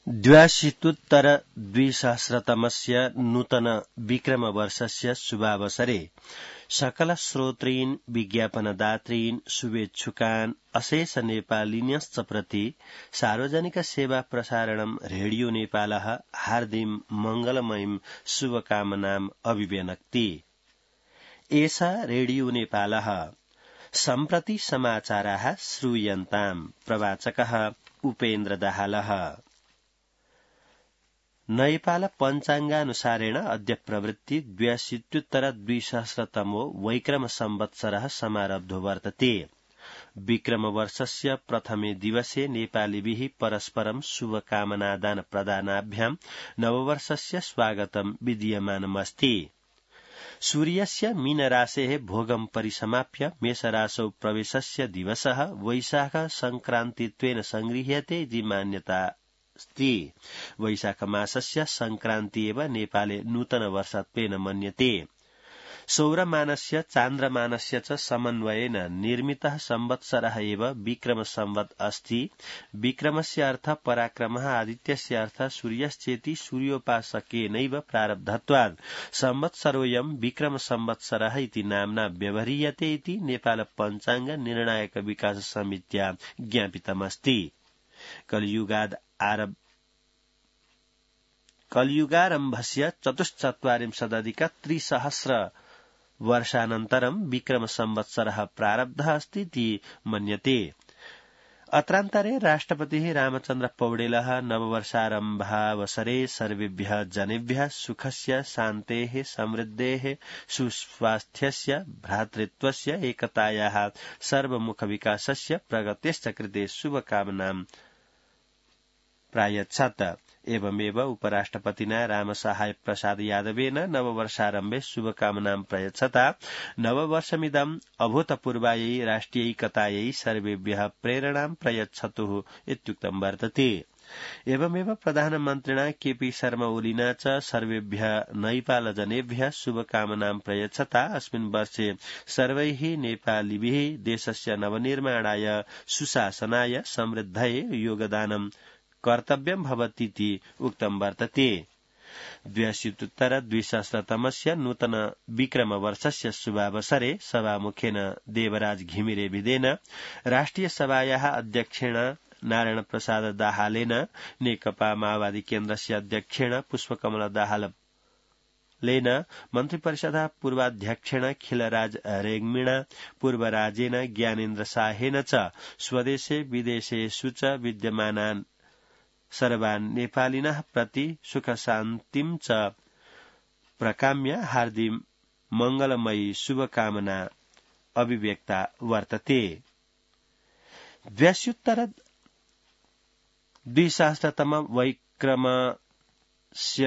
द्व्यशीत्युत्तर-द्विसहस्रतमस्य नूतन विक्रमवर्षस्य शुभावसरे सकल श्रोतॄन् विज्ञापनदातॄन् शुभेच्छुकान् अशेष नेपालिन्यश्च प्रति सार्वजनिक सेवा प्रसारणं रेडियो नेपालः हार्दिं मंगलमयीं शुभकामनाम् अभिव्यनक्ति। एषा रेडियो नेपालः सम्प्रति समाचाराः श्रूयन्ताम्। प्रवाचकः उपेन्द्र दाहालः। नेपाल पञ्चाङ्गानुसारेण अद्य प्रवृत्ति 82-द्विसहस्रतमो वैक्रम संवत्सरः समारब्धो वर्तते। विक्रमवर्षस्य प्रथमे दिवसे नेपालिभिः परस्परं शुभकामनादान प्रदानाभ्यां नववर्षस्य स्वागतं विधीयमानमस्ति। सूर्यस्य मीनराशेः भोगं परिसमाप्य मेषराशौ प्रवेशस्य दिवसः वैशाख संक्रान्तित्वेन संगृह्यते इति मान्यता अस्ति। वैशाखमासस्य संक्रान्ति एव नेपाले नूतनवर्षत्वेन मन्यते। सौरमानस्य चान्द्रमानस्य च समन्वयेन निर्मितः संवत्सरः एव विक्रम संवत् अस्ति। विक्रमस्य अर्थ पराक्रमः, आदित्यस्य अर्थ सूर्यश्चेति सूर्योपासकेनैव प्रारब्धत्वात् संवत्सरोऽयं विक्रम संवत्सरः इति नाम्ना व्यवह्रियते इति नेपाल पञ्चाङ्ग निर्णायक विकास समित्या ज्ञापितमस्ति। कलियुगारम्भस्य 44,300 वर्षानन्तरं विक्रम संवत्सरः प्रारब्धः अस्ति इति मन्यते। अत्रान्तरे राष्ट्रपतिः रामचन्द्र पौडेलः नववर्षारम्भावसरे सर्वेभ्यः जनेभ्यः सुखस्य, शान्तेः, समृद्धेः, सुस्वास्थ्यस्य, भ्रातृत्वस्य, एकतायाः, सर्वमुखविकासस्य, प्रगतेश्च कृते शुभकामनां प्रायच्छत्। एवमेव उपराष्ट्रपतिना रामसहाय प्रसाद यादवेन नववर्षारम्भे शुभकामनां प्रयच्छता नववर्षमिदम् अभूतपूर्वायै राष्ट्रियैकतायै सर्वेभ्यः प्रेरणां प्रयच्छतुः इत्युक्तं वर्तते। एवमेव प्रधानमन्त्रिणा केपी शर्मा ओलीना च सर्वेभ्यः नैपालजनेभ्यः शुभकामनां प्रयच्छता अस्मिन् वर्षे सर्वैः नेपालिभिः देशस्य नवनिर्माणाय, सुशासनाय, समृद्धये योगदानं कर्तव्यं भवतीति उक्तं वर्तते। 82-द्विसहस्रतमस्य नूतन विक्रमवर्षस्य शुभावसरे सभामुखेन देवराज घिमिरेभिदेन, राष्ट्रिय सभायाः अध्यक्षेण नारायण प्रसाद दाहालेन, नेकपा माओवादी केन्द्रस्य अध्यक्षेण पुष्पकमल दाहालेन, मन्त्रिपरिषदः पूर्वाध्यक्षेण खिलराज रेग्मीणा, पूर्वराजेन ज्ञानेन्द्र साहेन च स्वदेशे विदेशेषु च विद्यमानान् सर्वान् नेपालिनः प्रति सुखशान्तिं च प्रकाम्य हार्दिं मंगलमयी शुभकामना अभिव्यक्ता वर्तते। 82-द्विसहस्रतम वैक्रमस्य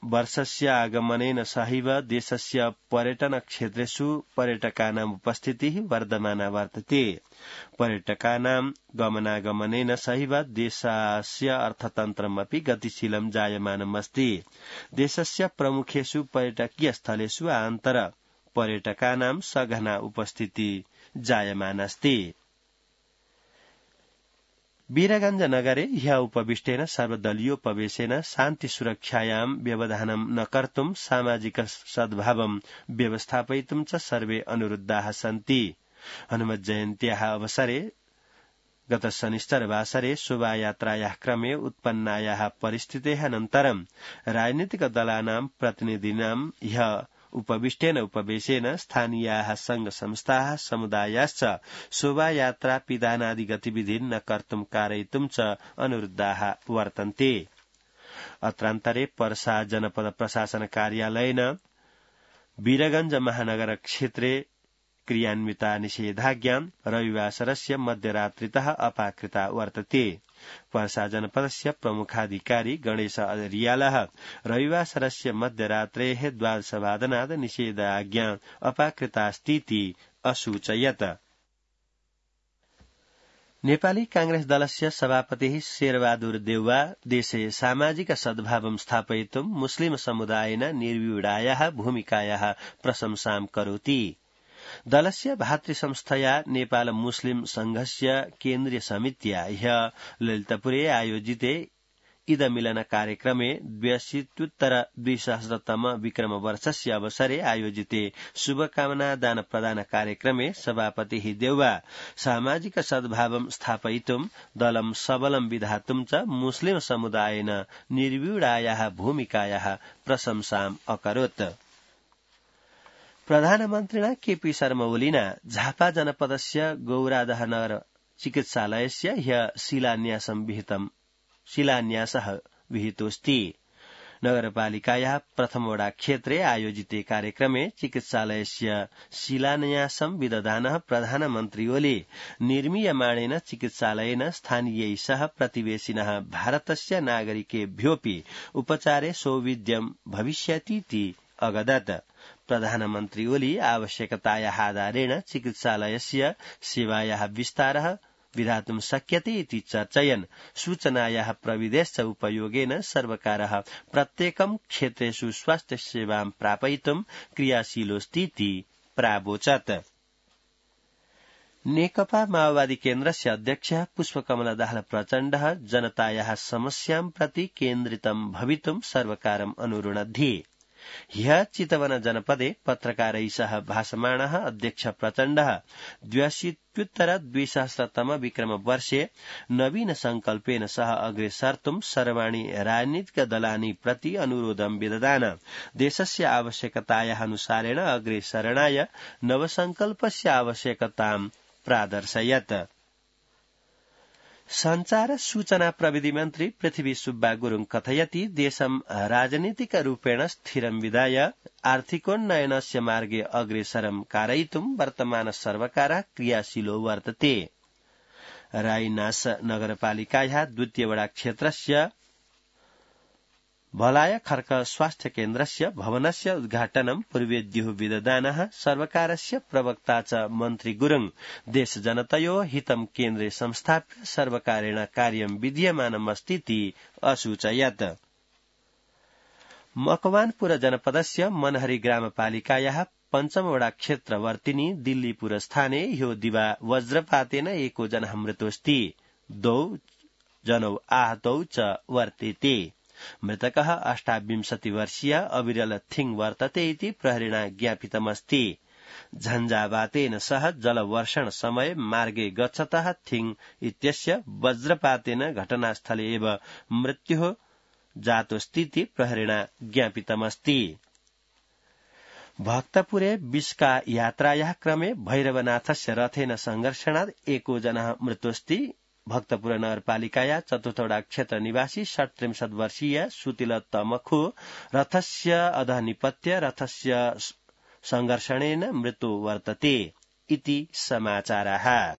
वर्षस्य आगमनेन सहैव देशस्य पर्यटन क्षेत्रेषु पर्यटकानाम् उपस्थितिः वर्धमाना वर्तते। पर्यटकानां गमनागमनेन सहैव देशस्य अर्थतन्त्रमपि गतिशीलं जायमानमस्ति। देशस्य प्रमुखेषु पर्यटकीय स्थलेषु आन्तर पर्यटकानां सघना उपस्थिति जायमानास्ति। वीरगंज नगरे ह्यः उपविष्टेन सर्वदलीयोपवेशेन शान्ति सुरक्षायां व्यवधानं न कर्तुं सामाजिक सद्भावं व्यवस्थापयितुं च सर्वे अनुरुद्धाः सन्ति। हनुमत जयन्त्याः अवसरे गत शनिश्चरवासरे शोभायात्रायाः क्रमे उत्पन्नायाः परिस्थितेः अनन्तरं राजनीतिक दलानां प्रतिनिधीनां ह्यः उपविष्टेन उपवेशेन स्थानीयाः संघ संस्थाः समुदायाश्च शोभायात्रा पिधानादि गतिविधीन् न कर्तुं कारयितुं च अनुरुद्धाः वर्तन्ते। अत्रान्तरे पर्सा जनपद प्रशासन कार्यालयेन वीरगंज महानगर क्षेत्रे क्रियान्विता निषेधाज्ञा रविवासरस्य मध्यरात्रितः अपाकृता वर्तते। पर्सा जनपदस्य प्रमुखाधिकारी गणेश रियालः रविवासरस्य मध्यरात्रेः 12:00 निषेधाज्ञा अपाकृतास्तीति असूचयत्। नेपाली कांग्रेस दलस्य सभापतिः शेरबहादुर देउवा देशे सामाजिक सद्भावं स्थापयितुं मुस्लिम समुदायेन निर्व्यूढायाः भूमिकायाः प्रशंसां करोति। दलस्य भातृसंस्थया नेपाल मुस्लिम संघस्य केन्द्रीय समित्या ह्यः ललितपुरे आयोजिते इदमिलन कार्यक्रमे 82-2000तम विक्रमवर्षस्य अवसरे आयोजिते शुभकामना दान प्रदान कार्यक्रमे सभापतिः देउवा सामाजिक सद्भावं स्थापयितुं दलं सबलं विधातुं च मुस्लिम समुदायेन निर्व्यूढायाः भूमिकायाः प्रशंसाम् अकरोत्। प्रधानमन्त्रिणा केपी शर्मा ओलीना झापा जनपदस्य गौरादहनगर चिकित्सालयस्य ह्य शिलान्यासः विहितोऽस्ति। नगरपालिकायाः प्रथमवडा क्षेत्रे आयोजिते कार्यक्रमे चिकित्सालयस्य शिलान्यासं विदधानः प्रधानमन्त्री ओली निर्मीयमाणेन चिकित्सालयेन स्थानीयैः सह प्रतिवेशिनः भारतस्य नागरिकेभ्योऽपि उपचारे सौविध्यं भविष्यतीति अगदत्। प्रधानमन्त्री ओली आवश्यकतायाः आधारेण चिकित्सालयस्य सेवायाः विस्तारः विधातुं शक्यते इति चर्चयन् सूचनायाः प्रविधेश्च उपयोगेन सर्वकारः प्रत्येकं क्षेत्रेषु स्वास्थ्य सेवां प्रापयितुं क्रियाशीलोऽस्तीति प्रावोचत्। नेकपा माओवादी केन्द्रस्य अध्यक्षः पुष्पकमल दाहाल प्रचण्डः जनतायाः समस्यां प्रति केन्द्रितं भवितुं सर्वकारम् अनुरुणद्धि। ह्यः चितवन जनपदे पत्रकारैः सह भाषमाणः अध्यक्ष प्रचण्डः 82-2000तम विक्रमवर्षे नवीन संकल्पेन सह अग्रे सर्तुं सर्वाणि राजनीतिक दलानि प्रति अनुरोधं विदधान देशस्य आवश्यकतायाः अनुसारेण अग्रे सरणाय नवसंकल्पस्य आवश्यकतां प्रादर्शयत्। संचार सूचना प्रविधि मन्त्री पृथ्वी सुब्बा गुरुङ कथयति देशं राजनीतिक रूपेण स्थिरं विधाय आर्थिकोन्नयनस्य मार्गे अग्रेसरं कारयितुं वर्तमान सर्वकारः क्रियाशीलो वर्तते। रायनास नगरपालिकायाः द्वितीयवडा क्षेत्रस्य भलाय खर्क स्वास्थ्य केन्द्रस्य भवनस्य उद्घाटनं पूर्वेद्युः विदधानः सर्वकारस्य प्रवक्ता च मन्त्री गुरुङ देश जनतयो हितं केन्द्रे संस्थाप्य सर्वकारेण कार्यं विधीयमानमस्तीति असूचयत्। मकवानपुर जनपदस्य मनहरी ग्रामपालिकायाः पञ्चमवडा क्षेत्रवर्तिनी दिल्लीपुर स्थाने ह्यो दिवा वज्रपातेन एको जनः मृतोऽस्ति 2 जनौ आहतौ च वर्तेते। मृतकः 28 वर्षीय अविरल थिङ वर्तते इति प्रहरिणा ज्ञापितमस्ति। झञ्झावातेन सह जलवर्षण समय मार्गे गच्छतः थिङ इत्यस्य वज्रपातेन घटनास्थले एव मृत्युः जातोऽस्तीति प्रहरिणा ज्ञापितमस्ति। भक्तपुरे विस्का यात्रायाः क्रमे भैरवनाथस्य रथेन संघर्षणात् एको जनः मृतोऽस्ति। भक्तपुर नगरपालिकाया चतुर्थवडा क्षेत्र निवासी 37 वर्षीय सुतिल तमखु रथस्य अधः निपत्य रथस्य संघर्षणेन मृत्यु वर्तते इति समाचाराः।